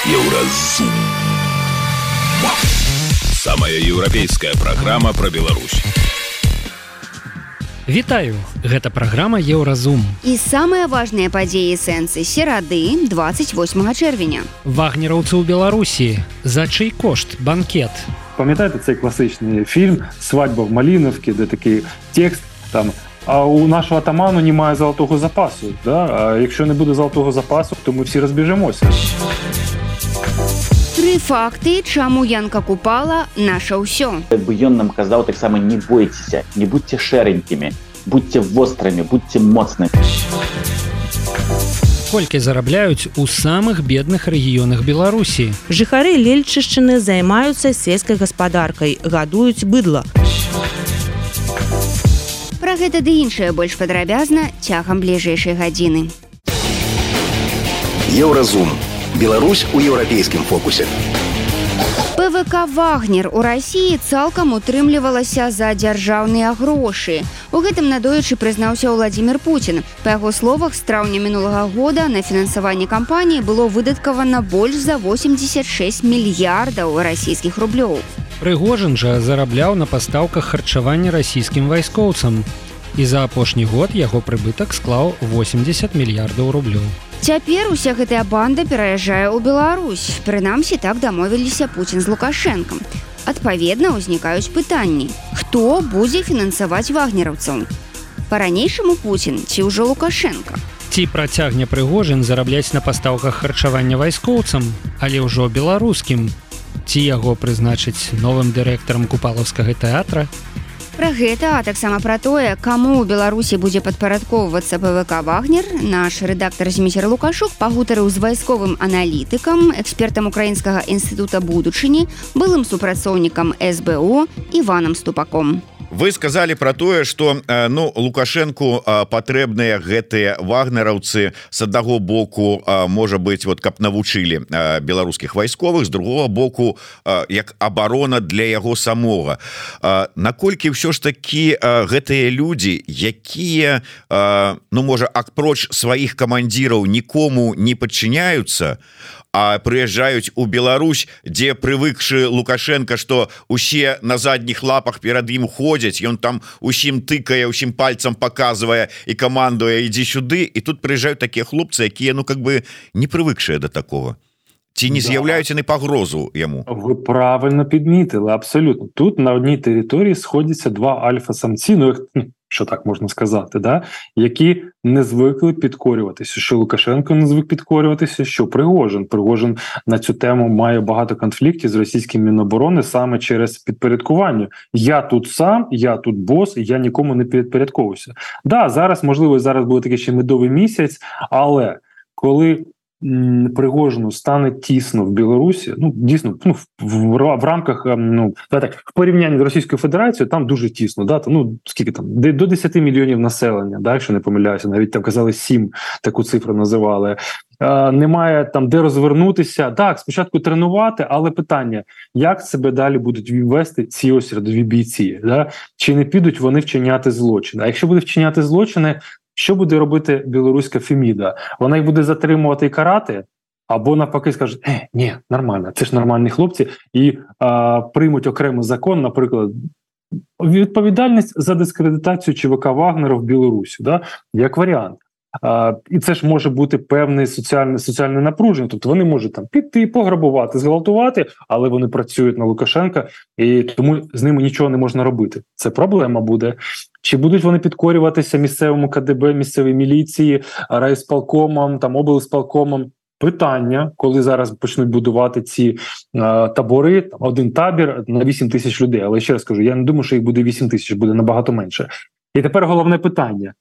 Еўразум. Самая еўрапейская праграма пра Беларусь. Вітаю, гэта праграма Еўразум. І самыя важныя падзеі сэнсы серады 28 чэрвеня. Вагнераўцы ў Беларусі. За чый кошт банкет? Пам'ятаєте цей класичний фільм «Свадьба в Малиновці», де такий текст там «А у нашого атаману немає золотого запасу, да? А якщо не буде золотого запасу, то ми всі розбіжемося». Тры факты, чаму Янка Купала наша ўсё. Бы ён нам казаў таксама: не бойцеся, не будьце шэранькімі, будьце вострымі, будьце моцнымі. Колькі зарабляюць у самых бедных рэгіёнах Беларусі? Жыхары Лельчышчыны займаюцца сельскай гаспадаркай, гадуюць быдла. Пра гэта ды іншае больш падрабязна цягам бліжэйшай гадзіны. Еўразум. Беларусь у еўрапейскім фокусе. ПВК «Вагнер» у Расіі цалкам утрымлівалася за дзяржаўныя грошы. У гэтым надоечы прызнаўся Владзімір Пуцін. Па яго словах, з траўня мінулага года на фінансаванне кампаніі было выдаткавана больш за 86 мільярдаў расійскіх рублёў. Прыгожин жа зарабляў на пастаўках харчавання расійскім вайскоўцам. І за апошні год яго прыбытак склаў 80 мільярдаў рублёў. Цяпер уся гэтая банда пераязджае ў Беларусь. Прынамсі, так дамовіліся Пуцін з Лукашэнкам. Адпаведна, узнікаюць пытанні. Хто будзе фінансаваць вагнераўцаў? Па-ранейшаму Пуцін ці ўжо Лукашэнка? Ці працягне Прыгожин зарабляць на пастаўках харчавання вайскоўцам, але ўжо беларускім? Ці яго прызначыць новым дырэктарам Купалаўскага тэатра? Пра гэта, а таксама пра тое, каму ў Беларусі будзе падпарадкоўвацца ПВК «Вагнер», наш рэдактар Зміцер Лукашук пагутарыў з вайсковым аналітыкам, экспертам Украінскага інстытута будучыні, былым супрацоўнікам СБУ Іванам Ступаком. Вы сказали про тое, что Лукашенку патрэбныя гэтыя вагнераўцы с аднаго боку, можа быть, вот каб навучылі беларускіх вайсковых, з другого боку як абарона для яго самога. Наколькі ўсё ж такі гэтыя людзі, якія можа апроч сваіх камандзіраў нікому не падчыняюцца, а прыязджаюць у Беларусь, дзе прывыкшы Лукашенко, што усе на задніх лапах перад ім ходзяць, ён там усім тыкае, усім пальцам паказвае і камандуе «ідзі сюды», і тут прыязджаюць такія хлопцы, якія не прывыкшыя да такого. Ці не з'яўляюць яны пагрозу яму? Ви правильно підмітили, абсолютно. Тут на одній території сходяться два альфа-самці, що так можна сказати, да? Які не звикли підкорюватися. Що Лукашенко не звик підкорюватися, що Пригожин. Пригожин на цю тему має багато конфліктів з російським Міноборони саме через підпорядкування. Я тут сам, я тут бос, я нікому не підпорядковуюся. Да, зараз, можливо, зараз буде такий ще медовий місяць, але коли Пригожину стане тісно в Білорусі, дійсно, в рамках, в порівнянні з Російською Федерацією, там дуже тісно, да, скільки там, до 10 мільйонів населення, да, якщо не помиляюся, навіть там казали 7, таку цифру називали. Немає там де розвернутися. Так, спочатку тренувати, але питання, як себе далі будуть вести ці ось рядові бійці, да? Чи не підуть вони вчиняти злочини? А якщо будуть вчиняти злочини, що буде робити білоруська Феміда? Вона їх буде затримувати і карати? Або навпаки скажуть, ні, нормально, це ж нормальні хлопці, і приймуть окремий закон, наприклад, відповідальність за дискредитацію ЧВК Вагнера в Білорусі, да? Як варіант. І це ж може бути певне соціальне напруження. Тобто вони можуть там піти, пограбувати, зґвалтувати, але вони працюють на Лукашенка, і тому з ними нічого не можна робити. Це проблема буде. Чи будуть вони підкорюватися місцевому КДБ, місцевій міліції, райсполкомам, там, облсполкомам? Питання, коли зараз почнуть будувати ці табори, там, один табір на 8 тисяч людей. Але ще раз кажу, я не думаю, що їх буде 8 тисяч, буде набагато менше. І тепер головне питання.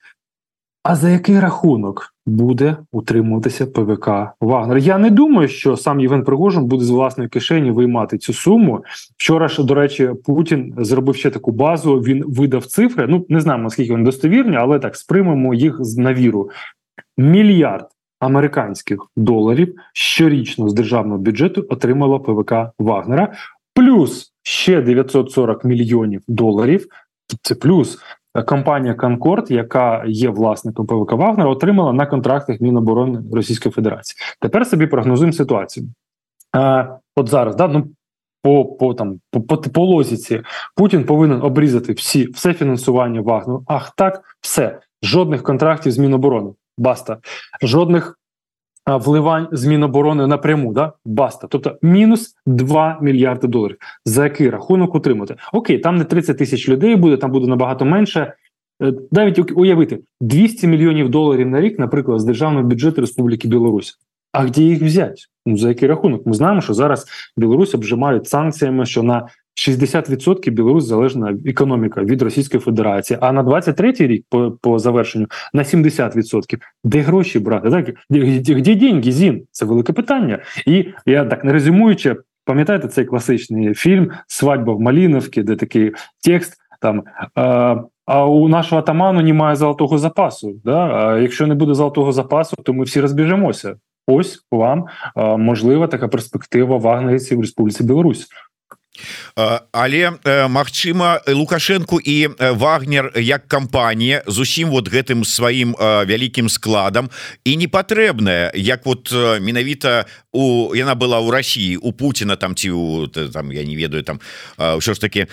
А за який рахунок буде утримуватися ПВК «Вагнер»? Я не думаю, що сам Євген Пригожин буде з власної кишені виймати цю суму. Вчора ж, до речі, Путін зробив ще таку базу, він видав цифри, не знаємо, наскільки вони достовірні, але так, сприймемо їх на віру. Мільярд американських доларів щорічно з державного бюджету отримала ПВК «Вагнера», плюс ще 940 мільйонів доларів, це плюс, компанія «Конкорд», яка є власником ПВК «Вагнера», отримала на контрактах Міноборони Російської Федерації. Тепер собі прогнозуємо ситуацію. от зараз, да, ну, по логіці, Путін повинен обрізати все фінансування Вагнеру. Ах так, все. Жодних контрактів з Міноборони. Баста. Жодних вливань з Міноборони напряму, да? Баста. Тобто мінус 2 мільярди доларів. За який рахунок утримати? Окей, там не 30 тисяч людей буде, там буде набагато менше. Навіть уявити, 200 мільйонів доларів на рік, наприклад, з державного бюджету Республіки Білорусь. А де їх взяти? Ну, за який рахунок? Ми знаємо, що зараз Білорусь обжимають санкціями, що на 60% Білорусь залежна економіка від Російської Федерації, а на 23-й рік по завершенню на 70%. Де гроші брати? Так? Де деньги, Зін? Це велике питання. І я так, не резюмуючи, пам'ятаєте цей класичний фільм «Свадьба в Малиновці», де такий текст, там, а у нашого атаману немає золотого запасу. Да? А якщо не буде золотого запасу, то ми всі розбіжемося. Ось вам можлива така перспектива вагнерівців в Республіці Білорусь. Але магчыма Лукашенко і Вагнер як кампанія з усім вот гэтым сваім вялікім складам і не патрэбная, як вот менавіта яна была ў Росіі, у Путіна там ці там, я не ведаю, там ўсё ж таки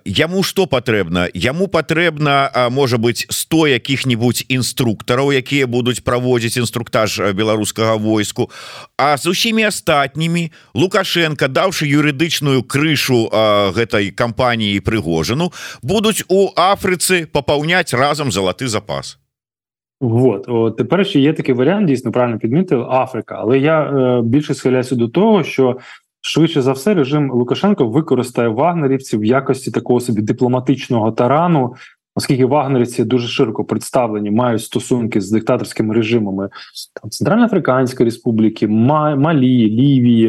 яму што патрэбна? Яму патрэбна, можа быць, 100 якіх-нибудь інструктараў, якія будуць праводзіць інструктаж беларускага войску, а з усімі астатнімі Лукашенко, даўшы юрыдычную крышу гэтай кампаніі Прыгожыну, будуць у Афрыцы папаўняць разам залаты запас. От тепер ще є такий варіант, дійсно правильно підмітив, Африка. Але я більше схиляюся до того, що швидше за все режим Лукашенко використає вагнерівців в якості такого собі дипломатичного тарану, оскільки вагнерівці дуже широко представлені, мають стосунки з диктаторськими режимами там, Центральноафриканської Республіки, Малі, Лівії,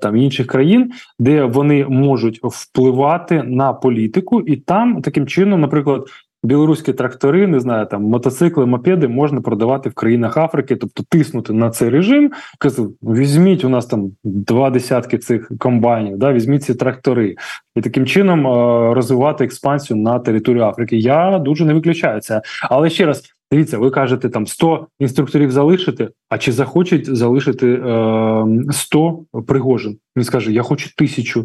там інших країн, де вони можуть впливати на політику, і там таким чином, наприклад, білоруські трактори, не знаю, там мотоцикли, мопеди можна продавати в країнах Африки, тобто тиснути на цей режим, казати, візьміть у нас там 20 цих комбайнів, да, візьміть ці трактори. І таким чином розвивати експансію на територію Африки. Я дуже не виключаю це. Але ще раз, дивіться, ви кажете, там 100 інструкторів залишити, а чи захочуть залишити 100 Пригожин? Він скаже, я хочу 1000,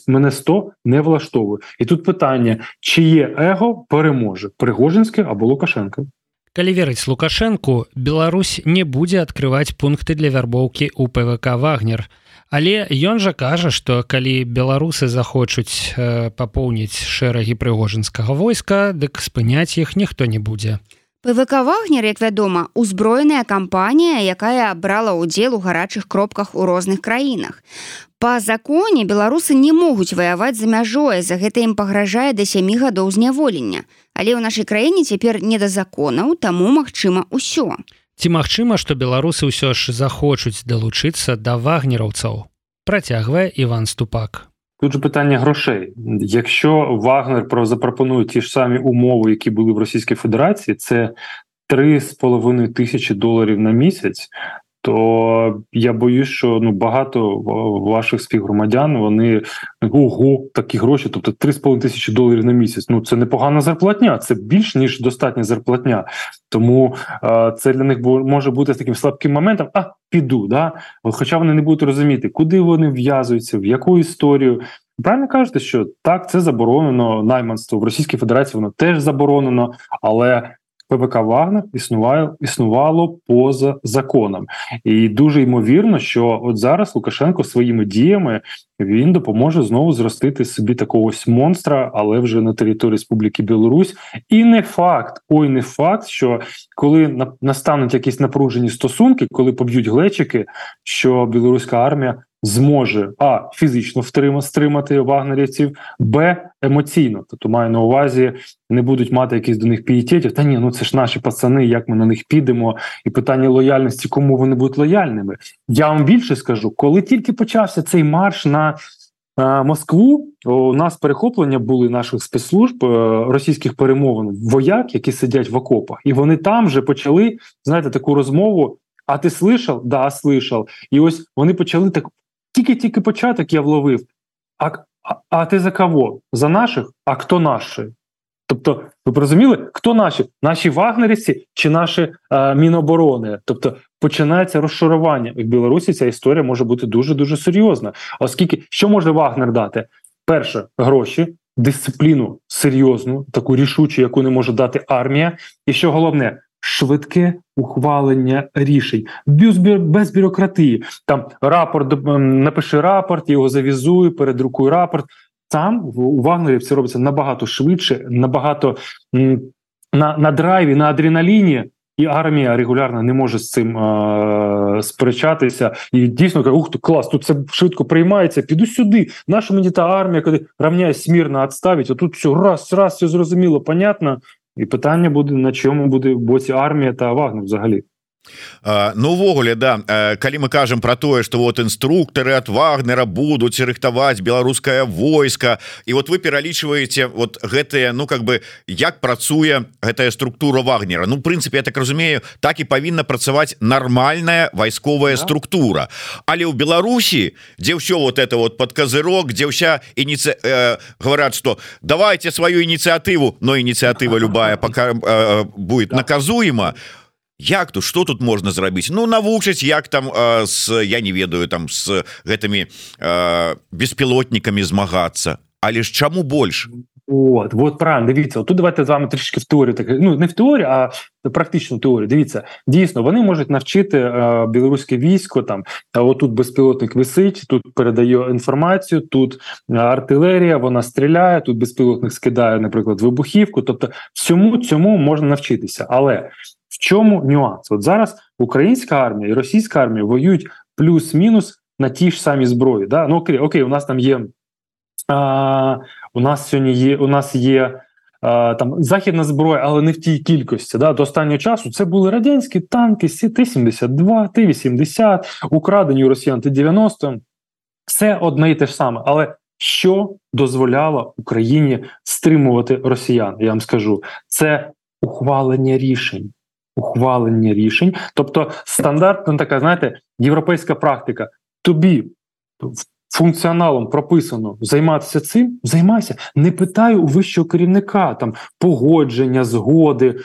мене 100 не влаштовує. І тут питання, чиє его переможе, Пригожинське або Лукашенко? Калі верыць Лукашенку, Беларусь не будзе адкрываць пункты для вярбоўкі ў ПВК «Вагнер». Але ён жа кажа, што калі беларусы захочуць папоўніць шэрагі прыгожынскага войска, дык спыняць іх ніхто не будзе. ПВК «Вагнер», як вядома, узброеная кампанія, якая брала ўдзел у гарачых кропках у розных краінах. Па законе беларусы не могуць ваяваць за мяжой, за гэта ім пагражае да 7 гадоў зняволення. Але ў нашай краіне цяпер не да законаў, таму магчыма ўсё. Ці магчыма, што беларусы ўсё ж захочуць далучыцца да вагнераўцаў? Працягвае Іван Ступак. Тут же питання грошей. Якщо Вагнер запропонує ті ж самі умови, які були в Російській Федерації, це $3,5 тисячі на місяць, то я боюсь, що багато ваших співгромадян, вони, ого, такі гроші, тобто $3,5 тисячі на місяць. Це непогана зарплатня, це більш ніж достатня зарплатня. Тому це для них може бути таким слабким моментом, піду, да? Хоча вони не будуть розуміти, куди вони в'язуються, в яку історію. Правильно кажете, що так, це заборонено, найманство в Російській Федерації, воно теж заборонено, але ПВК «Вагнер» існувало поза законом. І дуже ймовірно, що от зараз Лукашенко своїми діями він допоможе знову зростити собі такого ось монстра, але вже на території Республіки Білорусь. І не факт, що коли настануть якісь напружені стосунки, коли поб'ють глечики, що білоруська армія зможе фізично стримати вагнерівців, емоційно. Тобто маю на увазі, не будуть мати якісь до них пієтетів. Та ні, це ж наші пацани, як ми на них підемо? І питання лояльності, кому вони будуть лояльними. Я вам більше скажу, коли тільки почався цей марш на Москву, у нас перехоплення були наших спецслужб, російських перемовин, вояк, які сидять в окопах. І вони там вже почали, знаєте, таку розмову: а ти слышав? Да, слышав. І ось вони почали так, тільки початок я вловив. А ти за кого? За наших? А хто наші? Тобто, ви розуміли, хто наші? Наші вагнерівці чи наші Міноборони? Тобто, починається розшарування. В Білорусі ця історія може бути дуже-дуже серйозна. Оскільки, що може Вагнер дати? Перше, гроші, дисципліну серйозну, таку рішучу, яку не може дати армія. І що головне, швидке ухвалення рішень, без бюрократії. Там рапорт, напиши рапорт, його завізуй, передрукуй рапорт. Там у вагнерів це робиться набагато швидше, набагато на драйві, на адреналіні, і армія регулярно не може з цим сперечатися. І дійсно каже, ух, клас, тут це швидко приймається, піду сюди. Наша мені та армія, коли равняюсь смірно відставить, а тут все раз, все зрозуміло, понятно. І питання буде, на чому буде в боці армія та Вагнер взагалі. Ну увогуле, да, калі мы кажам про тое, что вот інструктары от Вагнера будуць рыхтаваць беларускае войска, і вот вы пералічваеце вот гэтыя, ну как бы як працуе гэтая структура Вагнера. Ну в прынцыпе, я так разумею, так і павінна працаваць нармальная вайсковая структура. Але ў Беларусі, дзе ўсё вот это вот под козырок, дзе ўся говорят, что давайте свою инициативу, но инициатива любая пока будет наказуема. Як тут, что тут можна зрабіць? Ну навучыць, як там я не ведаю, там с гэтымі беспілотнікамі змагацца. Але ж чаму больш? Вот правильно, дивіться, тут давайте з вами трішки в теорію, ну не в теорію, а практичну теорію. Дивіться, дійсно, вони можуть навчити білоруське військо, там, отут безпілотник висить, тут передає інформацію, тут артилерія, вона стріляє, тут безпілотник скидає, наприклад, вибухівку, тобто всьому цьому можна навчитися. Але в чому нюанс? От зараз українська армія і російська армія воюють плюс-мінус на ті ж самі зброї. Да? Ну окей, у нас там є у нас є там західна зброя, але не в тій кількості. Да? До останнього часу це були радянські танки Т-72, Т-80, украдені у росіян Т-90. Все одне і те ж саме. Але що дозволяло Україні стримувати росіян? Я вам скажу. Це ухвалення рішень. Тобто стандартна така, знаєте, європейська практика. Тобі функціоналом прописано займатися цим, займайся. Не питай у вищого керівника, там, погодження, згоди.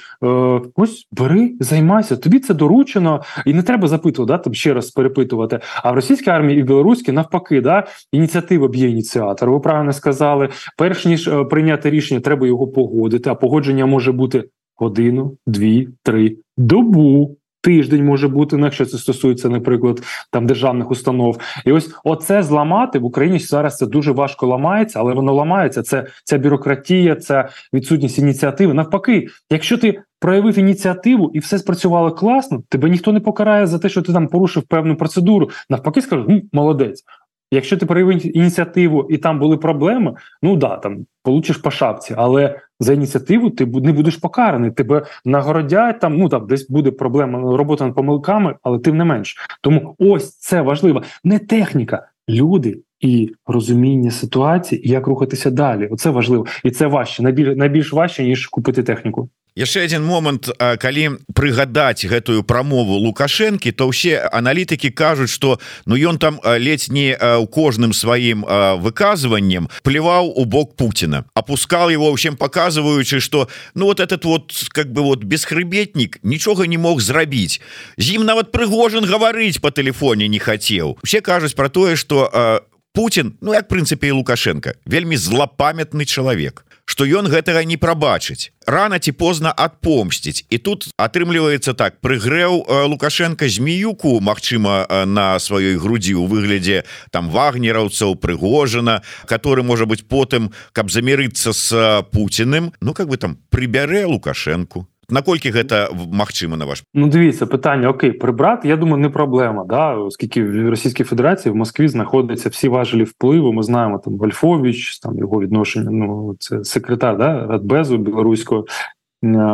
Ось, бери, займайся. Тобі це доручено, і не треба запитувати, да, там ще раз перепитувати. А в російській армії і в білоруській навпаки, да, ініціатива б'є ініціатор. Ви правильно сказали, перш ніж прийняти рішення, треба його погодити, а погодження може бути годину, 2, 3, добу, тиждень може бути, якщо це стосується, наприклад, там державних установ. І ось оце зламати в Україні зараз це дуже важко ламається, але воно ламається. Це ця бюрократія, це відсутність ініціативи. Навпаки, якщо ти проявив ініціативу і все спрацювало класно, тебе ніхто не покарає за те, що ти там порушив певну процедуру. Навпаки, скажуть, молодець. Якщо ти проявив ініціативу і там були проблеми, ну да, там получиш по шапці, але за ініціативу ти не будеш покараний, тебе нагородять, там, ну там десь буде проблема, робота над помилками, але тим не менш. Тому ось це важливо. Не техніка, люди і розуміння ситуації, і як рухатися далі. Оце важливо. І це важче, найбільш важче, ніж купити техніку. Яшчэ один момант, калі прыгадаць гэтую прамову Лукашэнкі, то ўсе аналітыкі кажуць, што ну ён там ледзь не ў кожным сваім выказваннем плеваў у бок Путина, опускал его, всем показываючы, что ну вот этот вот как бы вот бесхребетник нічога не мог зрабіць. З ім нават Прыгожин гаварыць по тэлефоне не хацеў. Все кажуць про тое, что Путин, ну як в прынцыпе і Лукашенко, вельмі злапамятны чалавек, што ён гэтага не прабачыць, рана ці позна адпомсціць. І тут атрымліваецца так, прыгрэў Лукашенко змеюку, магчыма, на сваёй грудзі ў выглядзе там вагнераўцаў, Прыгожина, который можа быць потым, каб замірыцца з Путіным, ну как бы там прыбярэ Лукашенку. Наколькі гэта магчыма, на ваш? Ну, дивіться, питання, окей, прибрати, я думаю, не проблема, да? Оскільки в Російській Федерації, в Москві знаходяться всі важелі впливу, ми знаємо, там, Вольфович, там, його відношення, ну, це секретар, да, Радбезу білоруського,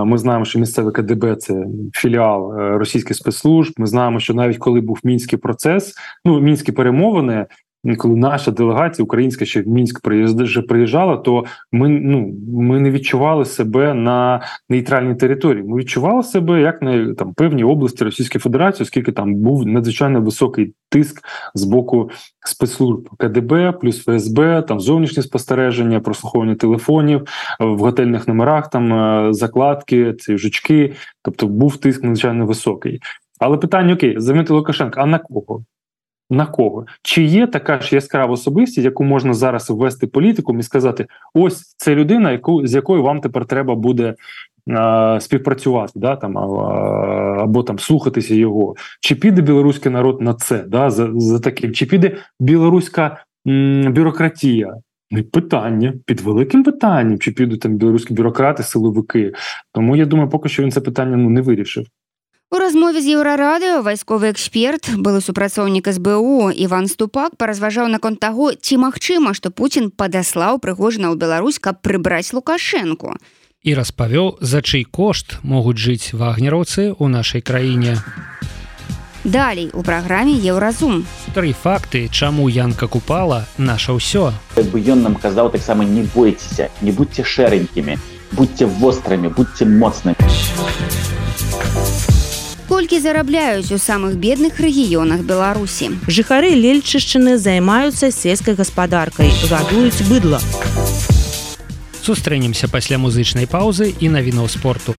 ми знаємо, що місцеве КДБ – це філіал російських спецслужб, ми знаємо, що навіть коли був Мінський процес, ну, Мінські перемовини, коли наша делегація українська ще в Мінськ приїжджала, то ми не відчували себе на нейтральній території. Ми відчували себе як на там певній області Російської Федерації, оскільки там був надзвичайно високий тиск з боку спецслужб КДБ, плюс ФСБ, там зовнішнє спостереження, прослуховування телефонів, в готельних номерах там закладки, ці жучки, тобто був тиск надзвичайно високий. Але питання, окей, замінити Лукашенка, а на кого? На кого? Чи є така ж яскрава особистість, яку можна зараз ввести політикум і сказати, ось це людина, з якою вам тепер треба буде співпрацювати, да, там, або там слухатися його. Чи піде білоруський народ на це, да, за таким? Чи піде білоруська бюрократія? Питання, під великим питанням, чи підуть там білоруські бюрократи, силовики. Тому я думаю, поки що він це питання не вирішив. У размове з Еўрарадыё вайсковы эксперт, былы супрацоўнік СБУ Іван Ступак паразважаў наконт таго, ці магчыма, што Пуцін падаслаў Прыгожына ў Беларусь, каб прыбраць Лукашэнку. І распавёў, за чый кошт могуць жыць вагнераўцы ў нашай краіне. Далей у праграме Еўразум. 3 факты, чаму Янка Купала наша ўсё. Як бы ён нам казаў таксама, не бойцеся, не будьце шэранькімі, будьце вострымі, будьце моцнымі. Колькі зарабляюць у самых бедных рэгіёнах Беларусі? Жыхары Лельчышчыны займаюцца сельскай гаспадаркай, гадуюць быдла. Сустрэнемся пасля музычнай паўзы і навінаў спорту.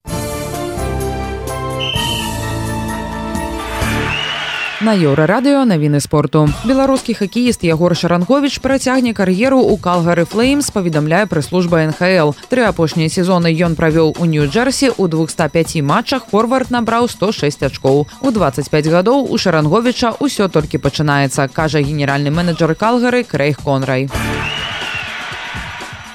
На Еўрарадыё навіны спорту. Беларускі хакеіст Ягор Шаранговіч працягне кар'еру ў Калгары Флеймс, паведамляе прэс-служба НХЛ. 3 апошнія сезоны ён правёў у Нью-Джерсі, у 205 матчах форвард набраў 106 ачкоў. У 25 гадоў у Шаранговіча ўсё толькі пачынаецца, кажа генеральны менеджер Калгары Крэйг Конрай.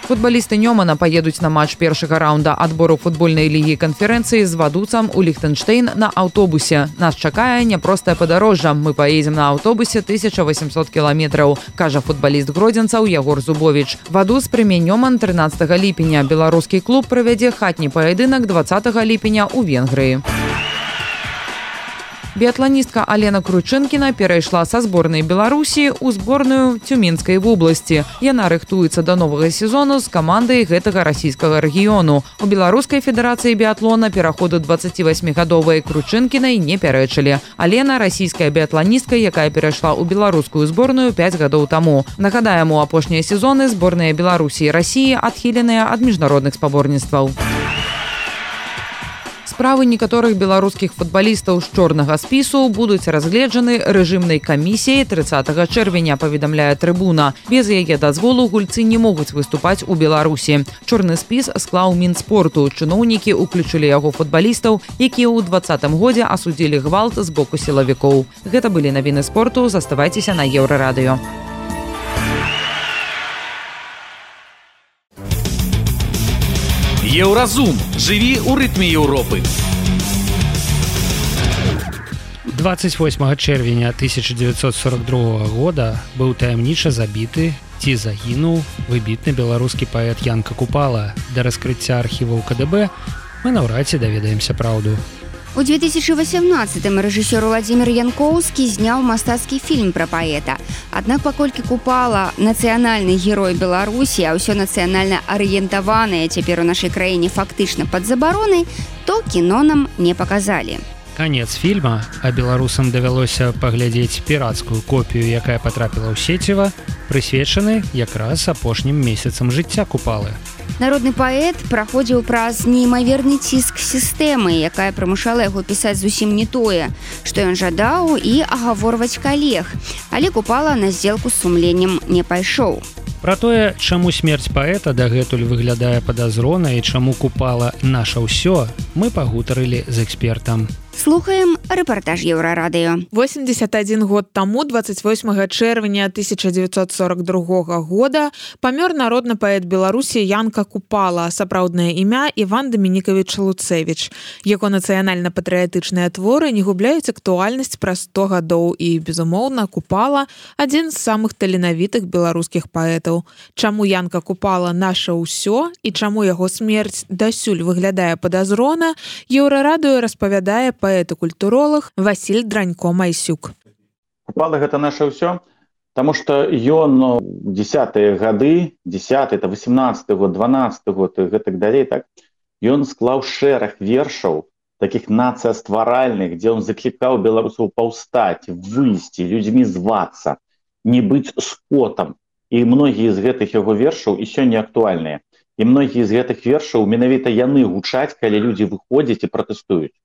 Футбалісты Нёмана паедуць на матч першага раунда адбору футбольнай лігі канферэнцыі з вадуцам у Ліхтэнштэйн на аўтобусе. Нас чакае няпростае падарожжа. Мы паедзем на аўтобусе 1800 кіламетраў, кажа футбаліст гродзенцаў Ягор Зубовіч. Вадуц прыме Нёман 13 ліпеня. Беларускі клуб правядзе хатні паядынак 20 ліпеня ў Венгрыі. Біятланістка Алена Кручынкіна перайшла са зборнай Беларусі ў зборную Цюменскай вобласці. Яна рыхтуецца да новага сезону з камандай гэтага расійскага рэгіёну. У Беларускай федэрацыі біятлона пераходу 28-гадовай Кручынкінай не пярэчылі. Алена – расійская біятланістка, якая перайшла ў беларускую зборную 5 гадоў таму. Нагадаем, у апошнія сезоны зборныя Беларусі і Расіі адхіленыя ад міжнародных спаборніцтваў. Справы некаторых беларускіх футбалістаў з чорнага спісу будуць разгледжаны рэжымнай камісіяй 30 чэрвеня, паведамляе Трыбуна. Без яе дазволу гульцы не могуць выступаць у Беларусі. Чорны спіс склаў Мінспорту. Чыноўнікі ўключылі яго футбалістаў, якія ў 2020 годзе асудзілі гвалт з боку сілавікоў. Гэта былі навіны спорту. Заставайцеся на Еўрарадыё. Еўразум. Жыві ў рытме Еўропы. 28 чэрвеня 1942 года быў таямніча забіты ці загінуў выбітны беларускі паэт Янка Купала. Да раскрыцця архіваў КДБ мы наўрад ці даведаемся праўду. У 2018-м рэжысёр Владзімір Янкоўскі зняў мастацкі фільм пра паэта. Аднак паколькі Купала нацыянальны герой Беларусі, а ўсё нацыянальна арыентаванае цяпер у нашай краіне фактычна пад забаронай, то кіно нам не паказалі. Канец фільма, а беларусам давялося паглядзець пірацкую копію, якая патрапіла ў сеціва, прысвечаны якраз апошнім месяцам жыцця Купалы. Народны паэт праходзіў праз неймаверны ціск сістэмы, якая прымушала яго пісаць зусім не тое, што ён жадаў, і агаворваць калег. Але Купала на здзелку з сумленнем не пайшоў. Пра тое, чаму смерць паэта дагэтуль выглядае падазрона і чаму Купала наша ўсё, мы пагутарылі з экспертам. Слухаем рэпартаж Еўрарадыё. 81 год таму, 28 чэрвеня 1942 года, памёр народны паэт Беларусі Янка Купала, сапраўднае імя Іван Дамінікавіч Луцэвіч. Яго нацыянальна-патрыятычныя творы не губляюць актуальнасць праз 100 гадоў і, безумоўна, Купала – адзін з самых таленавітых беларускіх паэтаў. Чаму Янка Купала наша ўсё і чаму яго смерць дасюль выглядае падазрона, Еўрарадыё распавядае паэт-культуролог Васіль Дранько-Майсюк. Купала гэта наша ўсё, таму што ён 10-е гады, 10-й, 18-й год, 12-й год і гэтак далей, так, ён склаў шэраг вершаў таких нацыястваральных, дзе ён заклікаў беларусаў паўстаць, выйсці, людзьмі звацца, не быць скотам. І многія з гэтых яго вершаў і сёння актуальныя. І многія з гэтых вершаў менавіта яны гучаць, калі людзі выходзяць і пратэстуюць.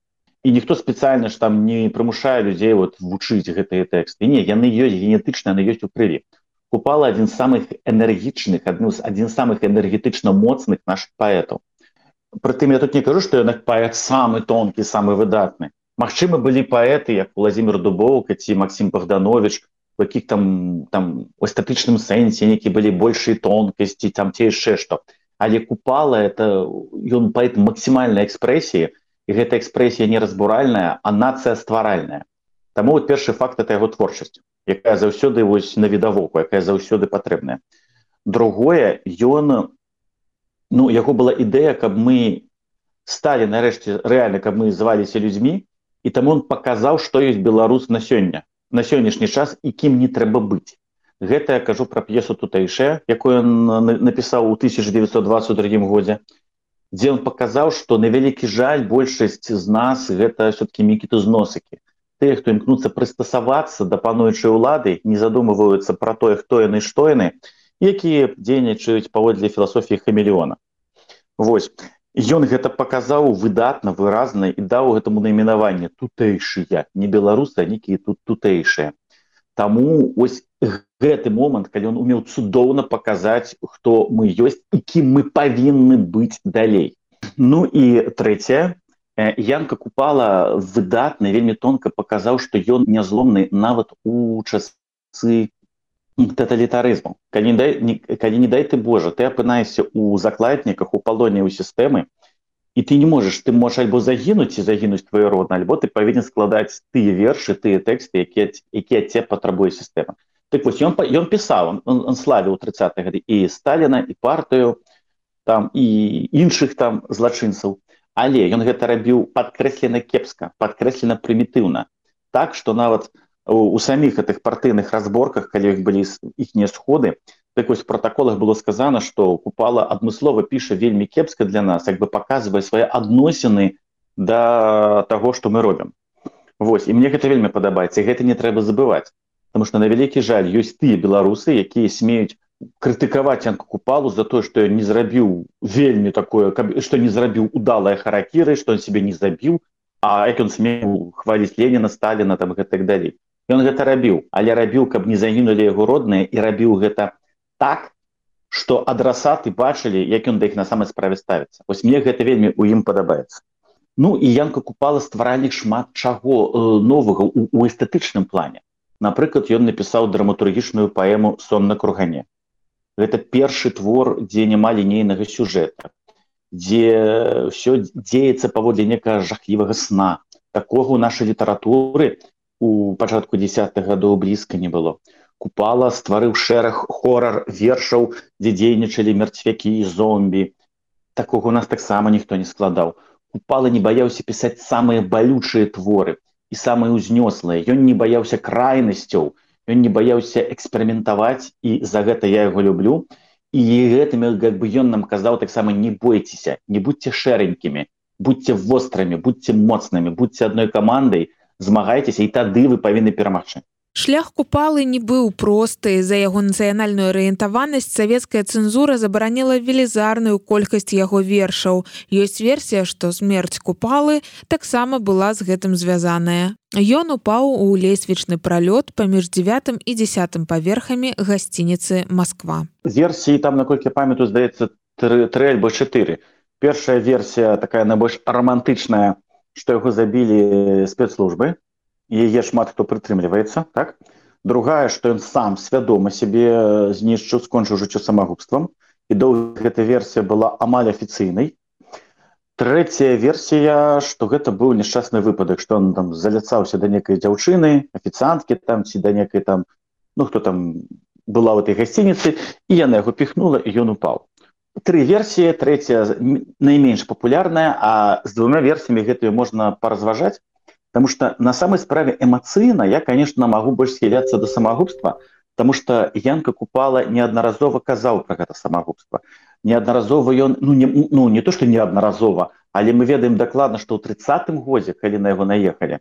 І ніхто спецыяльна ж там не прымушае людзей вучыць гэтыя тэксты. Не, яны ёсць генетычна, яны ёсць у крыві. Купала адзін з самых энергічных, адзін з самых энергетычна моцных нашых паэтаў. Прытым я тут не кажу, што ён паэт самы тонкі, самы выдатны. Магчыма, былі паэты, як Владзімір Дубоўка ці Максім Богданович, у якіх там у эстэтычным сэнсе нейкія былі большыя тонкасці, там ці яшчэ што. Але Купала это ён паэт максімальнай экспрэсіі, і гэта экспрэсія не разбуральная, а нацыястваральная. Таму першы факт это яго творчасць, якая заўсёды навідавоку, якая заўсёды патрэбная. Другое, яго была ідэя, каб мы сталі нарэшце рэальна, каб мы зваліся людзьмі, і таму он паказаў, што ёсць беларус на сёння, на сённяшні час і кім не трэба быць. Гэта я кажу пра п'есу «Тутэйшая», якую ён напісаў у 1922 годзе, дзе он паказаў, што на вялікі жаль большасць з нас гэта ўсё-такі мікітузносыкі. Тыя, хто імкнуцца прыстасавацца да пануючай улады, не задумываюцца пра тое, хто яны, што яны, якія дзейнічаюць паводле філасофіі хамелеона. Вось. Ён гэта паказаў выдатна, выразна і даў гэтаму найменаванне «тутэйшыя», не беларусы, а нейкія тут тутэйшыя. Таму ось гэты момант, калі ён умеў цудоўна паказаць, хто мы ёсць і кім мы павінны быць далей. Ну і трэцяе, Янка Купала выдатна, вельмі тонка паказаў, што ён нязломны нават у часы тоталітарызму. Калі не дай ты Божа, ты апынаешся ў закладніках, у палоне ў сістэмы, і ты не можаш, ты можаш альбо загінуць і загінуць твоё родна, альбо ты павінен складаць тыя вершы, тыя тэксты, якія ад цябе патрабуе сістэма. Так вось, ён пісаў, он славіў 30-е гады і Сталіна, і партыю, і іншых там злачынцаў, але ён гэта рабіў падкрэслена кепска, падкрэслена прымітыўна, так, што нават у самих гэтых партыйных разборках, калі іх былі іхнія сходы, так вось в протаколах было сказано, што Купала адмыслова піша вельмі кепска для нас, як бы паказвае свае адносіны да таго, што мы робім. Вось, і мне гэта вельмі падабаецца, і гэта не трэба забываць, потому што на вялікі жаль ёсць тыя беларусы, якія смеюць крытыкаваць Янку Купалу за тое, што ён не зрабіў вельмі такое, што не зрабіў удалае харакіры, што ён себе не забіў, а як ён смеў хваліць Леніна, Сталіна там і так далей. Ён гэта рабіў, але рабіў, каб не загінулі яго родныя, і рабіў гэта так, што адрасаты бачылі, як ён да іх на самай справе ставіцца. Вось мне гэта вельмі ў ім падабаецца. Ну і Янка Купала стваральнік шмат чаго новага ў эстэтычным плане. Напрыклад, ён напісаў драматургічную паэму «Сон на кургане». Гэта першы твор, дзе няма лінейнага сюжэта, дзе ўсё дзеецца паводле некага жахлівага сна. Такога ў нашай літаратуры у пачатку 10-х гадоў блізка не было. Купала стварыў шэраг хорар-вершаў, дзе дзейнічалі мерцвякі і зомбі. Такога у нас таксама ніхто не складаў. Купала не баяўся пісаць самыя балючыя творы і самыя ўзнёслыя. Ён не баяўся крайнасцяў, ён не баяўся эксперыментаваць, і за гэта я яго люблю. І гэтым як бы ён нам казаў таксама: не бойцеся, не будьце шэранькімі, будьце вострамі, будьце моцнымі, будьце адной камандай, змагайцеся, і тады вы павінны перамагчы. Шлях Купалы не быў просты. За яго нацыянальную арыентаванасць савецкая цэнзура забараніла велізарную колькасць яго вершаў. Ёсць версія, што смерць Купалы таксама была з гэтым звязаная. Ён упаў у лесвічны пралёт паміж 9 і 10 паверхамі гасцініцы «Масква». Версіі там, наколькі памятаю, здаецца, 3 альбо 4. Першая версія такая найбольш романтычная, што яго забілі спецслужбы. Яе шмат хто прытрымліваецца, так? Другая, што ён сам свядома сябе знішчыў, скончыў жыццё самагубствам, і доўга гэта версія была амаль афіцыйнай. Трэцяя версія, што гэта быў няшчасны выпадак, што ён там заляцаўся да некай дзяўчыны, афіцыанткі там, ці да некай там, хто там была ў этой гасцініцы, і яна яго піхнула, і ён упаў. 3 версіі, трэцяя найменш папулярная, а з 2 версіямі гэтую можна паразважаць. Потому что на самой справе эмоцыйна я, конечно, могу больше схиляться до самогубства, потому что Янка Купала неодноразово казаў про гэта самогубство. неаднаразова ён не то што неаднаразова, але мы ведаем дакладна, што ў 30-м годзе, калі на яго наехалі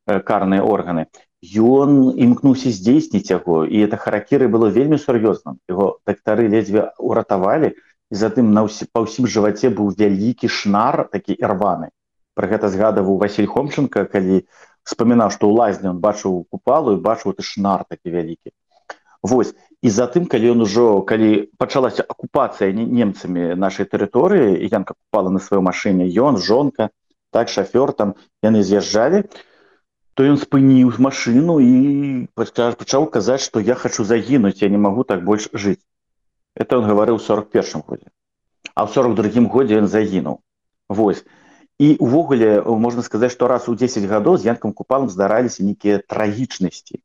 карныя органы, ён імкнуўся здзейсніць яго, і это харакіры было вельмі сур'ёзным. Яго дактары ледзьве уратавалі, і затым па ўсім жываце быў вялікі шнар, такі ірваны. Пра гэта згадаваў Васіль Хомченко, калі вспамінаў, што ў лазні ён бачыў Купалу і бачыў ты шнар такі вялікі. Вось. І затым, калі пачалася акупацыя немцамі нашай тэрыторыі, і Янка Купала на сваёй машыне, ён, жонка, так, шафёр там, яны з'язджалі, то ён спыніў машыну і пачаў казаць, што я хачу загінуць, я не магу так больш жыць. Это ён гаварыў у 41-м годзе. А ў 42-м годзе ён загінуў. Вось. І увогуле, можна сказаць, што раз у 10 гадоў з Янкам Купалам здараліся нейкія трагічнасці.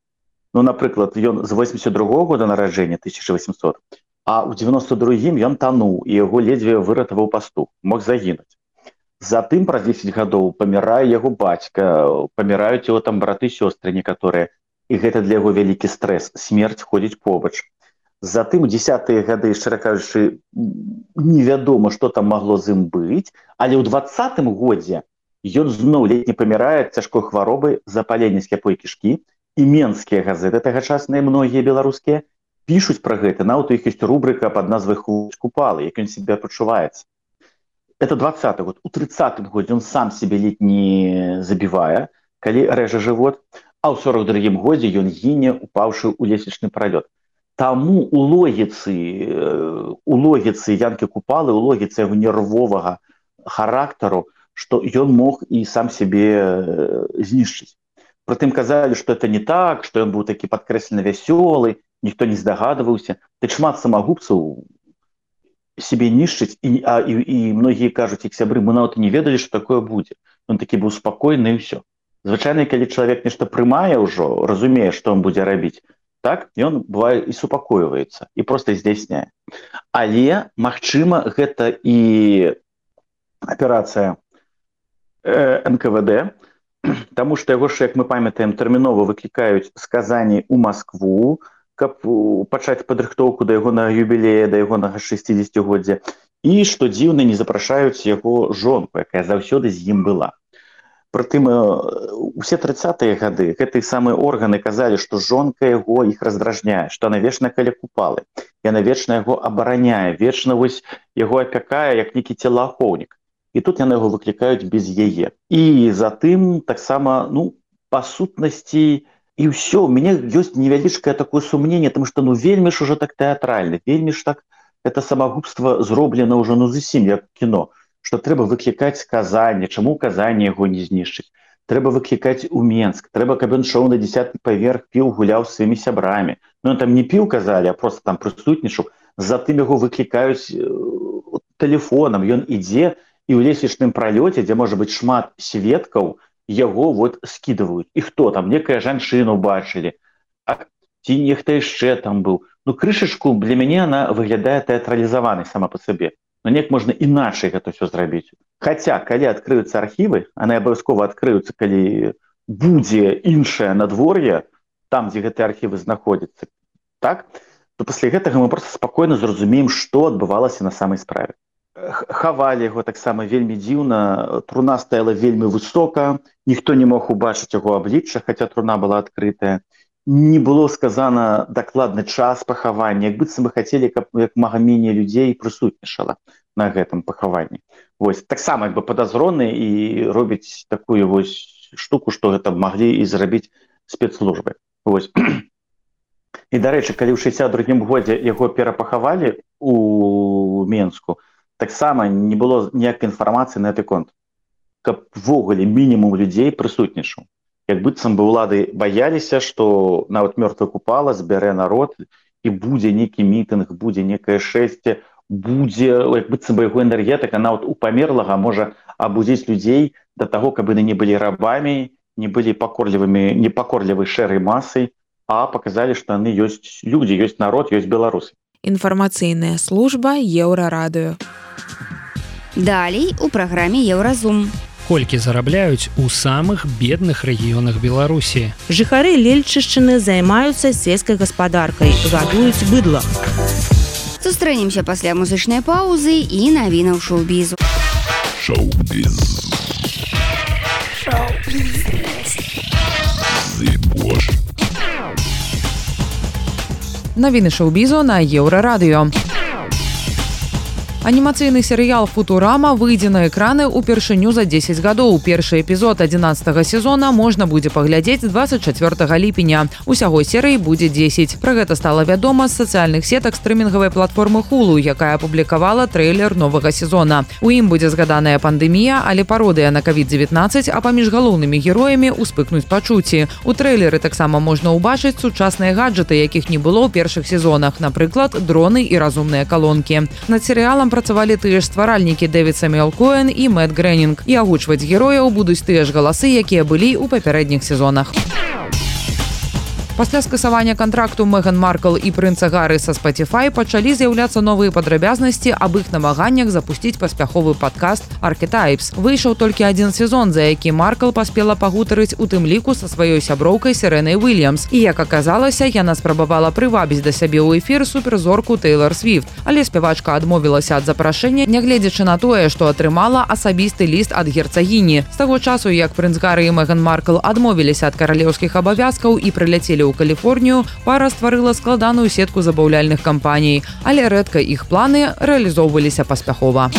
Ну, напрыклад, ён з 82-го года нараджэння, 1800, а ў 92-м ён тануў, і яго ледзьве выратаваў пастух, мог загінуць. Затым праз 10 гадоў памірае яго бацька, паміраюць яго там браты-сёстры некаторыя, і гэта для яго вялікі стрэс, смерць ходзіць побач. Затым у 10-е гады, шчыра кажучы, невядома, што там магло з ім быць, але ў 20-м годзе ён зноў ледзь не памірае ад цяжкой хваробы запалення сляпой кішкі, і менскія газеты тагачасныя, многія беларускія, пішуць пра гэта, нават у іх ёсць рубрыка пад назвай «Хлопец Купалы», як ён сябе пачуваецца. Это 20-й год. У 30-м годзе ён сам себе ледь не забівае, калі рэжа жывот, а ў 42-м годзе ён гіне, упаўшы ў лесвічны пралёт. Таму у логіцы Янкі Купалы, у логіцы яго нервовага характару, што ён мог і сам себе знішчыць. Прытым казалі, што это не так, што ён быў такі падкрэслена вясёлы, ніхто не здагадваўся. Ты шмат самагубцаў себе нішчыць, і многія кажуць, як сябры, мы нават не ведалі, што такое будзе. Ён такі быў спакойны і ўсё. Звычайна, калі чалавек нешта прымае ўжо, разумее, што ён будзе рабіць, так, ён бывае і супакойваецца, і проста здзяйсняе. Але, магчыма, гэта і аперацыя НКВД, таму што яго ж, як мы памятаем, тэрмінова выклікаюць з Казані ў Маскву, каб пачаць падрыхтоўку да ягонага юбілея, да ягонага 60-годдзя, і, што дзіўна, не запрашаюць яго жонку, якая заўсёды з ім была. Прытым, усе 30-е гады гэтыя самыя органы казалі, што жонка яго іх раздражняе, што яна вечна каля Купалы, яна вечна яго абараняе, вечна вось яго апякае, як нейкі целаахоўнік. І тут яны яго выклікаюць без яе. І затым таксама, па сутнасці, і ўсё, у мяне ёсць невялічкае такое сумненне, тому што вельмі ж ужо так тэатральна, вельмі ж так гэта самагубства зроблена ўжо зусім як кіно, што трэба выклікаць з Казані, чаму ў Казані яго не знішчыць, трэба выклікаць у Менск, трэба, каб ён шоў на 10-й паверх, піў, гуляў з сваімі сябрамі. Ён там не піў, казалі, а проста там прысутнічаў, затым яго выклікаюць тэлефонам, ён ідзе, і ў лесвічным пралёце, дзе можа быць шмат сведкаў, яго скідваюць. І хто там? Некая жанчыну бачылі. Ці нехта яшчэ там быў. Крышачку для мяне она выглядае тэатралізаванай сама па сабе. Неяк можна іначай гэта ўсё зрабіць. Хаця, калі адкрыюцца архівы, яны абавязкова адкрыюцца, калі будзе іншае надвор'е, там, дзе гэтыя архівы знаходзяцца, так, то пасля гэтага мы проста спакойна зразумеем, што адбывалася на самай справе. Хавалі яго таксама вельмі дзіўна, труна стаяла вельмі высока, ніхто не мог убачыць яго аблічча, хаця труна была адкрытая. Не было сказана дакладны час пахавання, як быццам бы хацелі, каб як мага меней людзей прысутнічала на гэтым пахаванні. Вось, таксама як бы падазроны і робіць такую вось штуку, што гэта маглі і зрабіць спецслужбы. Вось. І, дарэчы, калі ў 62-м годзе яго перапахавалі у Менску, таксама не было ніякай інфармацыі на гэты конт, каб ввогуле мінімум людзей прысутнічаў. Як быццам бы ўлады баяліся, што нават мёртвая Купала збярэ народ, і будзе нейкі мітынг, будзе некае шэсце, будзе, як быццам бы яго энергетыка нават у памерлага можа абудзіць людзей да таго, каб яны не былі рабамі, не былі непакорлівай шэрай масай, а паказалі, што яны ёсць людзі, ёсць народ, ёсць беларусы. Інфармацыйная служба Еўрарадыё. Далей у праграме Еўразум. Колькі зарабляюць у самых бедных рэгіёнах Беларусі. Жыхары Лельчышчыны займаюцца сельскай гаспадаркай, гадуюць быдла. Сустрэнемся пасля музычнай паўзы і навінаў шоу-бізу. Шоу-біз. Навіны шоу-бізу на Еўрарадыё. Анімацыйны серыял «Футурама» выйдзе на экраны ўпершыню за 10 гадоў. Першы эпізод 11-го сезона можна будзе паглядзець 24 ліпеня. Усяго серый будзе 10. Пра гэта стала вядома з сацыяльных сетак стрымінгавай платформы Hulu, якая апублікавала трэйлер новага сезона. У ім будзе згаданая пандэмія, але пародыя на COVID-19, а паміж галоўнымі героямі ўспыхнуць пачуцці. У трэйлеры таксама можна ўбачыць сучасныя гаджеты, якіх не было ў першых сезонах, напрыклад, дроны і разумныя калонкі. Над серыялам працавалі тыя ж стваральнікі Дэвід Сэмюэл Коэн і Мэтт Грэнінг. І агучваць герояў будуць тыя ж галасы, якія былі ў папярэдніх сезонах. Пасля скасавання кантракту Меган Маркл і прынца Гары са Spotify пачалі з'яўляцца новыя падрабязнасці аб іх намаганнях запусціць паспяховы падкаст Archetypes. Выйшаў толькі адзін сезон, за які Маркл паспела пагутарыць у тым ліку са сваёй сяброўкай Серэнай Уільямс. І, як аказалася, яна спрабавала прывабіць да сябе ў эфір суперзорку Тэйлар Свіфт. Але спявачка адмовілася ад запрашэння, нягледзячы на тое, што атрымала асабісты ліст ад герцагіні. З таго часу, як прынц Гары і Меган Маркл адмовіліся ад каралеўскіх абавязкаў і прыляцелі ў Каліфорнію, пара стварыла складаную сетку забаўляльных кампаній, але рэдка іх планы рэалізоўваліся паспяхова.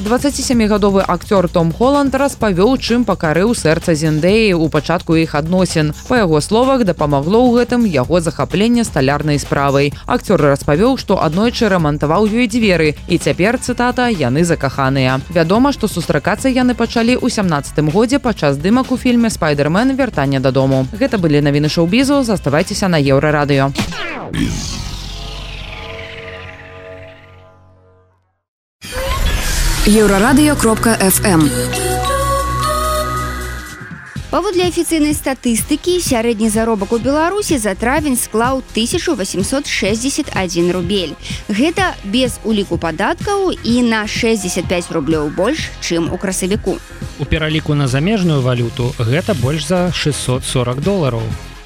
27-гадовы акцёр Том Холланд распавёў, чым пакарыў сэрца Зендэі ў пачатку іх адносін. Па яго словах, дапамагло ў гэтым яго захапленне сталярнай справай. Акцёр распавёў, што аднойчы рамантаваў ёй дзверы, і цяпер, цытата, яны закаханыя. Вядома, што сустракацца яны пачалі ў 17-м годзе падчас здымак у фільме «Спайдермен. Вяртанне дадому». Гэта былі навіны шоу-бізу, заставайцеся на Еўрарадыё. Еўрарадыё.фм. Паводле афіцыйнай статыстыкі, сярэдні заробак у Беларусі за травень склаў 1861 рубель. Гэта без уліку падаткаў і на 65 рублёў больш, чым у красавіку. У пераліку на замежную валюту гэта больш за $640.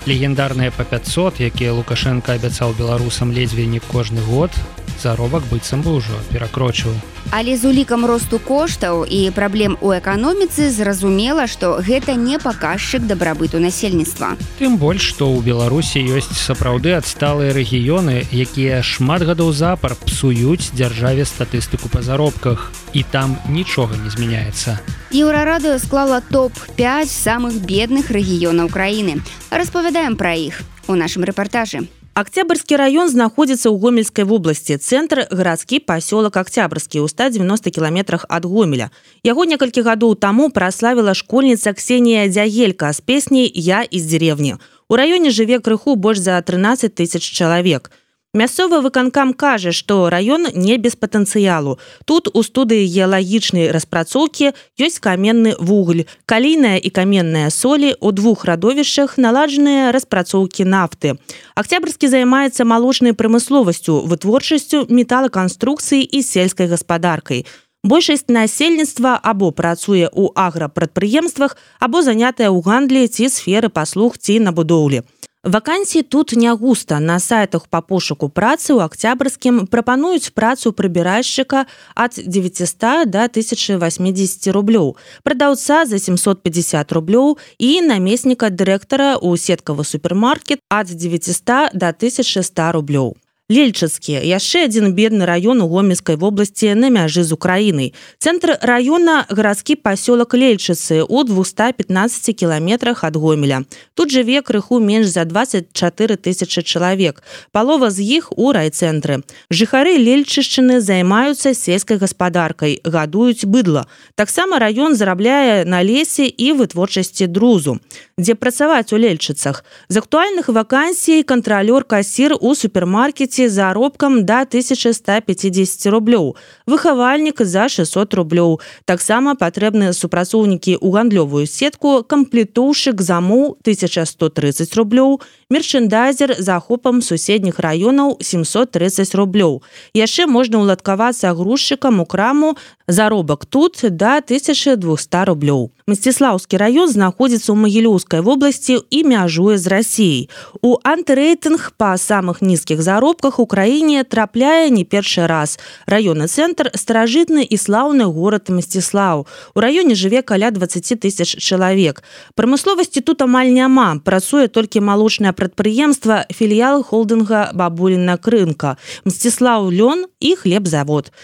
Легендарныя па 500, якія Лукашенко абяцаў беларусам ледзьве не кожны год, заробак быццам бы ўжо перакрочыў. Але з улікам росту коштаў і праблем у эканоміцы зразумела, што гэта не паказчык дабрабыту насельніцтва. Тым больш, што ў Беларусі ёсць сапраўды адсталыя рэгіёны, якія шмат гадоў запар псуюць дзяржаве статыстыку па заробках, і там нічога не змяняецца. Еўрарадыё склала топ-5 самых бедных рэгіёнаў краіны. Распавядаем пра іх у нашым рэпартажы. Октябрьский район находится ў Гомельской области. Центр – городский поселок Октябрьский, у 190 километрах от Гомеля. Яго некалькі гадоў таму праславіла школьница Ксения Дягелька с песней «Я из деревни». У районе жыве крыху больш за 13 тысяч чалавек. Мясцовы выканкам кажа, што раён не без патэнцыялу. Тут у студыі геалагічнай распрацоўкі ёсць каменны вугль, калійная і каменная солі, у двух радовішчах наладжаныя распрацоўкі нафты. Октябрьскі займаецца малочнай прамысловасцю, вытворчасцю металаканструкцыі і сельскай гаспадаркай. Большасць насельніцтва або працуе ў аграпрадпрыемствах, або занятая ў гандлі ці сферы паслуг ці на будоўлі. Вакансій тут не густа. На сайтах па пошуку працы ў Октябрьскім прапануюць працу прыбіральшчыка ад 900 до 1080 рублёў, прадаўца за 750 рублёў і намесніка дырэктара ў сеткавы супермаркет ад 900 до 1100 рублёў. Лельчацкі – яшчэ адзін бедны раён у Гомельскай вобласці на мяжы з Украінай. Цэнтр раёна – гарадскі пасёлак Лельчыцы у 215 кіламетрах ад Гомеля. Тут жыве крыху менш за 24 тысячы чалавек. Палова з іх у райцэнтры. Жыхары Лельчышчыны займаюцца сельскай гаспадаркай, гадуюць быдла. Таксама раён зарабляе на лесе і вытворчасці друзу. Дзе працаваць у Лельчыцах? З актуальных вакансій кантралёр-касір у супермаркеце заробкам до 1150 рублёў, выхавальнік за 600 рублёў. Таксама патрэбныя супрацоўнікі ў гандлёвую сетку, камплектоўшчык замоў 1130 рублёў, мерчэндайзер з ахопам суседніх раёнаў 730 рублёў. Яшчэ можна ўладкавацца грузчыкам у краму, заробак тут до 1200 рублёў. Мсціслаўскі раён знаходзіцца ў Магілёўскай вобласці і мяжуе з Расіяй. У антырэйтынг па самых нізкіх заробках у краіне трапляе не першы раз. Раённы цэнтр – старажытны і слаўны горад Мсціслаў. У раёне жыве каля 20 тысяч чалавек. Прамысловасці тут амаль няма. Працуе толькі малочнае прадпрыемства, філіял холдынга «Бабуліна рынка», Мсціслаў лён і хлебзавод.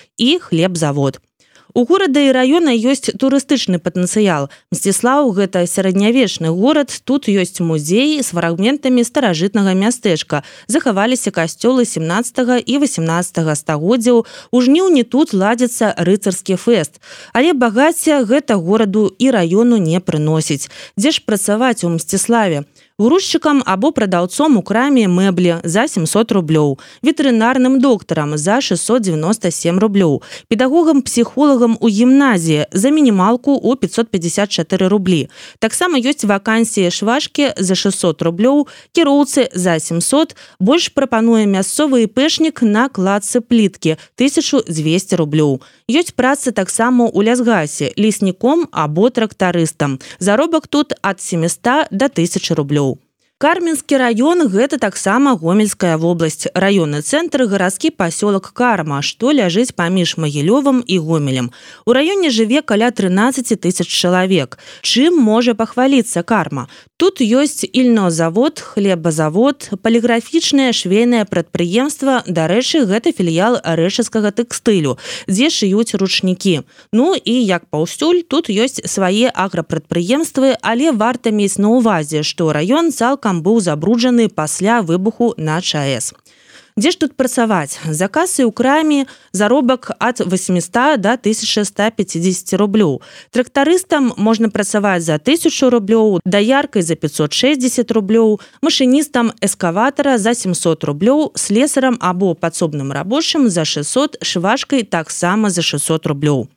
У горада і раёна ёсць турыстычны патэнцыял. Мсціслаў – гэта сярэднявечны горад, тут ёсць музеі з фрагментамі старажытнага мястэчка. Захаваліся касцёлы 17 і 18 стагоддзяў. У жніўні тут ладзіцца рыцарскі фэст. Але багацця гэта гораду і раёну не прыносіць. Дзе ж працаваць у Мсціславе? Грузчыкам або прадаўцом у краме мэблі за 700 рублёў, ветэрынарным доктарам за 697 рублёў, педагогам-псіхолагам у гімназіі за мінімалку ў 554 рублі. Таксама ёсць вакансіі швачкі за 600 рублёў, кіроўцы за 700, больш прапануе мясцовы іпэшнік на кладцы пліткі 1200 рублёў. Ёсць праца таксама ў лясгасе, лесніком або трактарыстам. Заробак тут ад 700 до 1000 рублёў. Кармінскі раён – гэта таксама Гомельская вобласць. Раённы цэнтр – гарадскі пасёлак Карма, што ляжыць паміж Магілёвам і Гомелем. У раёне жыве каля 13 тысяч чалавек. Чым можа пахваліцца Карма? Тут ёсць ільнозавод, хлебазавод, паліграфічнае швейнае прадпрыемства, дарэчы, гэта філіял рэшыцкага тэкстылю, дзе шыюць ручнікі. Ну і як паўсюль, тут ёсць свае аграпрадпрыемствы, але варта мець на ўвазе, што раён цалкам быў забруджаны пасля выбуху на ЧАЭС. Дзе ж тут працаваць? За касай у краме заробак ад 800 до 1150 рублёў. Трактарыстам можна працаваць за 1000 рублёў, даяркай за 560 рублёў, машыністам эскаватара за 700 рублёў, слесарам або падсобным рабочым за 600, швачкай таксама за 600 рублёў.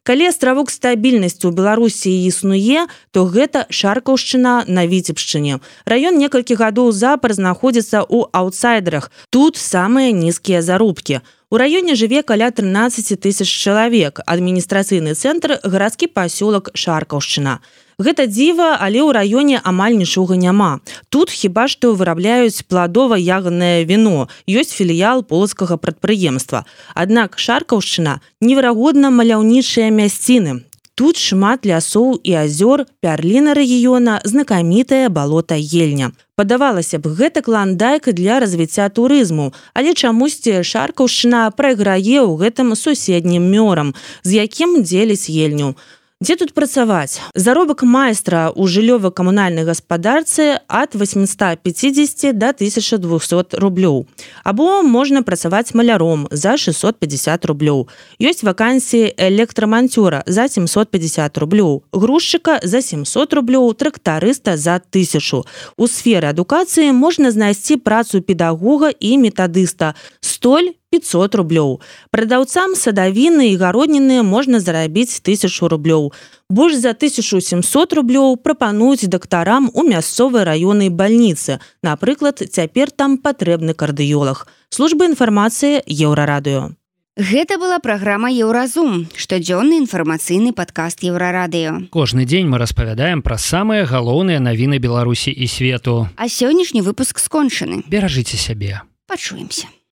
Калі астравок стабільнасці ў Беларусі існуе, то гэта Шаркаўшчына на Віцебшчыне. Раён некалькі гадоў запар знаходзіцца ў аўтсайдерах. Тут самыя нізкія заробкі. У раёне жыве каля 13 тысяч чалавек. Адміністрацыйны цэнтр – гарадскі пасёлак Шаркаўшчына. Гэта дзіва, але ў раёне амаль нічога няма. Тут хіба што вырабляюць пладова-ягаднае віно. Ёсць філіял полацкага прадпрыемства. Аднак Шаркаўшчына – неверагодна маляўнічыя мясціны. Тут шмат лясоў і азёр, пярліна рэгіёна, знакамітае балота Ельня. Падавалася б, гэта кландайк для развіцця турызму, але чамусьці Шаркаўшчына прайграе ў гэтым суседнім мёрам, з якім дзеляць Ельню. Дзе тут працаваць? Заробак майстра ў жыллёва-камунальнай гаспадарцы ад 850 до 1200 рублёў. Або можна працаваць маляром за 650 рублёў. Ёсць вакансіі электраманцёра за 750 рублёў, грузчыка за 700 рублёў, трактарыста за 1000. У сферы адукацыі можна знайсці працу педагога і метадыста. Столь 500 рублёў. Прадаўцам садавіны і гародніны можна зарабіць 1000 рублёў. Больш за 1700 рублёў прапануюць дактарам у мясцовай раённай бальніцы. Напрыклад, цяпер там патрэбны кардыёлаг. Служба інфармацыі Еўрарадыё. Гэта была праграма «Еўразум», штодзённы інфармацыйны падкаст Еўрарадыё. Кожны дзень мы распавядаем пра самыя галоўныя навіны Беларусі і свету. А сённяшні выпуск скончаны. Беражыце сябе. Пачуемся.